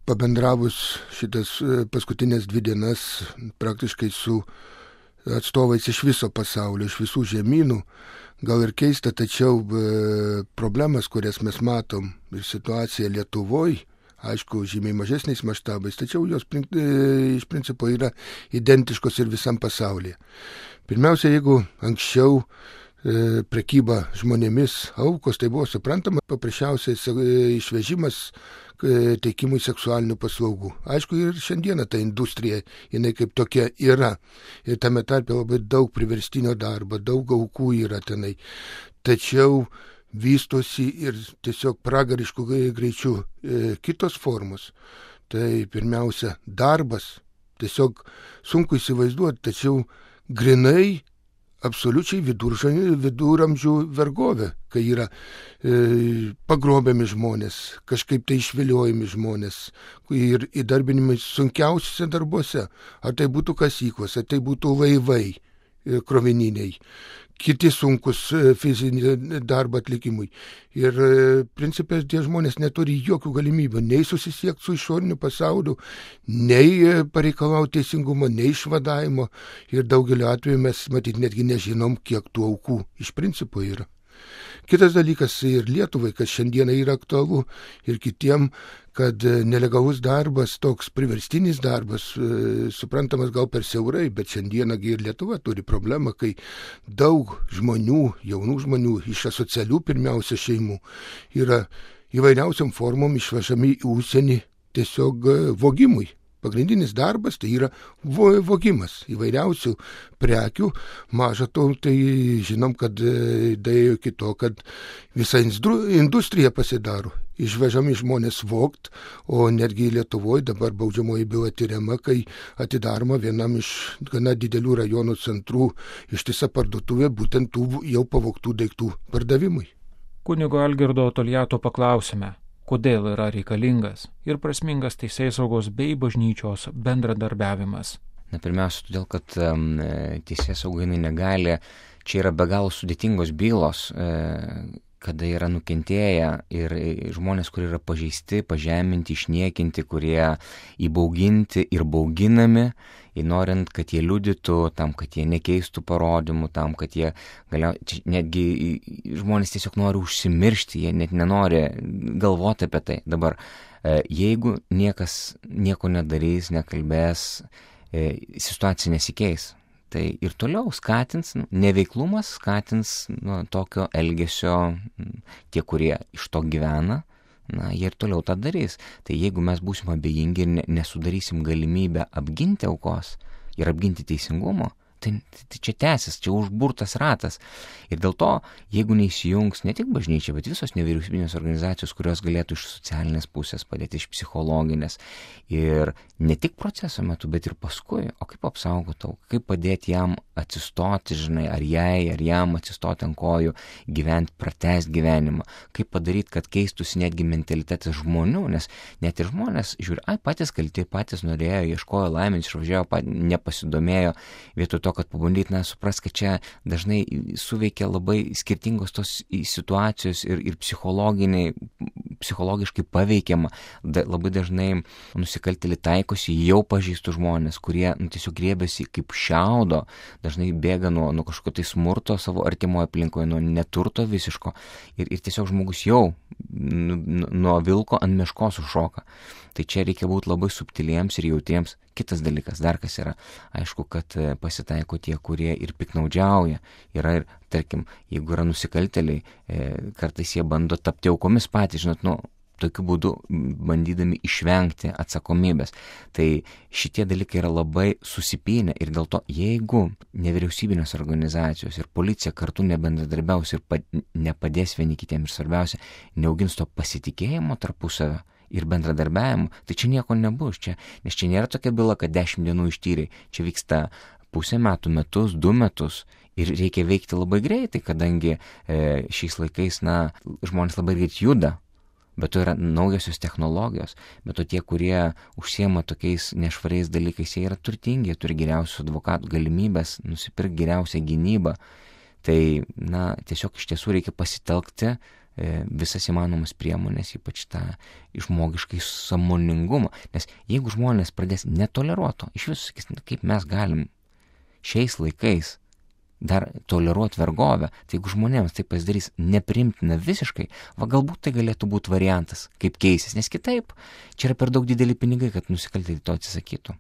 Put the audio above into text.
pabendravus šitas paskutinės 2 dienas praktiškai su atstovais iš viso pasaulio, iš visų žemynų, gal ir keista, tačiau problemas, kurias mes matom ir situacija Lietuvoje, aišku, žymiai mažesniais maštabais, tačiau jos iš principo yra identiškos ir visam pasaulyje. Pirmiausia, jeigu anksčiau prekyba žmonėmis aukos, tai buvo suprantama paprasčiausiai išvežimas teikimui seksualinių paslaugų. Aišku, ir šiandieną ta industrija, jinai kaip tokia yra. Ir tame tarpe labai daug priverstinio darbo, daug aukų yra tenai. Tačiau vystosi ir tiesiog pragariškų greičių kitos formos. Tai pirmiausia, darbas. Tiesiog sunku įsivaizduoti, tačiau grinai absoliučiai viduramžių vergovė, kai yra pagrobiami žmonės, kažkaip tai išviliojami žmonės ir įdarbinimai sunkiausiuose darbuose. Ar tai būtų kasyklos, ar tai būtų laivai krovininiai, kiti sunkus fizinį darbą atlikimui. Ir principės tie žmonės neturi jokių galimybių nei susisiekti su išoriniu pasauliu, nei pareikalauti teisingumo, nei išvadavimo. Ir daugeliu atveju mes matyt netgi nežinom, kiek tų aukų iš principo yra. Kitas dalykas ir Lietuvai, kas šiandieną yra aktualu ir kitiem, kad nelegalus darbas, toks priverstinis darbas, suprantamas gal per siaurai, bet šiandieną ir Lietuva turi problemą, kai daug žmonių, jaunų žmonių iš asocialių pirmiausia šeimų yra įvairiausiam formom išvežami į užsienį tiesiog vogimui. Pagrindinis darbas tai yra vogimas įvairiausių prekių. Maža to, tai žinom, kad daėjo iki to, kad visa industrija pasidaro. Išvežami žmonės vogt, o netgi Lietuvoje dabar baudžiamoji byla tyriama, kai atidaroma vienam iš gana didelių rajonų centrų ištisa parduotuvė būtent tų jau pavogtų daiktų pardavimui. Kunigo Algirdo Toliato paklausime, kodėl yra reikalingas ir prasmingas teisėsaugos bei bažnyčios bendradarbiavimas. Pirmiausia, todėl, kad teisėsauga negali, čia yra be galo sudėtingos bylos, kada yra nukentėję ir žmonės, kurie yra pažeisti, pažeminti, išniekinti, kurie įbauginti ir bauginami, norint, kad jie liudytų, tam, kad jie nekeistų parodymų, tam, kad jie netgi žmonės tiesiog nori užsimiršti, jie net nenori galvoti apie tai. Dabar, jeigu niekas nieko nedarys, nekalbės, situacija nesikeis. Tai ir toliau skatins, neveiklumas skatins tokio elgesio tie, kurie iš to gyvena, jie ir toliau tą darys. Tai jeigu mes būsim abejingi ir nesudarysim galimybę apginti aukos ir apginti teisingumo, tai čia tęsis, čia užburtas ratas. Ir dėl to, jeigu neįsijungs ne tik bažnyčia, bet visos nevyriausybinės organizacijos, kurios galėtų iš socialinės pusės padėti, iš psichologinės ir ne tik proceso metu, bet ir paskui, o kaip apsaugoti auką, kaip padėti jam atsistoti, ar jam atsistoti ant kojų, gyventi, pratęsti gyvenimą, kaip padaryti, kad keistųsi netgi mentalitetas žmonių, nes net ir žmonės žiūri, patys kalti, patys norėjo, ieškojo laimės, išvažiavo, nepasidomėjo, vietoj to, kad pabandyti, supras, kad čia dažnai suveikia labai skirtingos tos situacijos ir psichologiškai paveikiama. Labai dažnai nusikaltėliai taikosi jau pažeistų žmonės, kurie tiesiog griebėsi kaip šiaudo, dažnai bėga nuo kažkokio tai smurto savo artimoje aplinkoje, nuo neturto visiško ir tiesiog žmogus jau nuo vilko ant meškos užšoka. Tai čia reikia būti labai subtiliems ir jautriems. Kitas dalykas, dar kas yra, aišku, kad pasitaiko tie, kurie ir piknaudžiauja. Yra ir, tarkim, jeigu yra nusikaltėliai, kartais jie bando tapti aukomis patys, tokiu būdu bandydami išvengti atsakomybės. Tai šitie dalykai yra labai susipynę ir dėl to, jeigu nevyriausybinės organizacijos ir policija kartu nebendradarbiaus ir nepadės vieni kitiem ir svarbiausia, neaugins to pasitikėjimo tarpusavio ir bendradarbiavimo, tai čia nieko nebus. Nes čia nėra tokia byla, kad 10 dienų ištyrė. Čia vyksta pusę metų, metus, 2 metus. Ir reikia veikti labai greitai, kadangi šiais laikais, žmonės labai greit juda. Bet to yra naujosios technologijos, bet to tie, kurie užsiema tokiais nešvariais dalykais, jie yra turtingi, turi geriausius advokatų galimybės, nusipirkti geriausią gynybą. Tai, tiesiog iš tiesų reikia pasitelkti visas įmanomas priemonės, ypač tą žmogiškai sąmoningumą. Nes jeigu žmonės pradės netoleruoto, iš viso sakys, kaip mes galim šiais laikais dar toleruoti vergovę, tai jeigu žmonėms tai pasidarys neprimtina visiškai, galbūt tai galėtų būti variantas, kaip keisis, nes kitaip čia yra per daug dideli pinigai, kad nusikaltėliai to atsisakytų.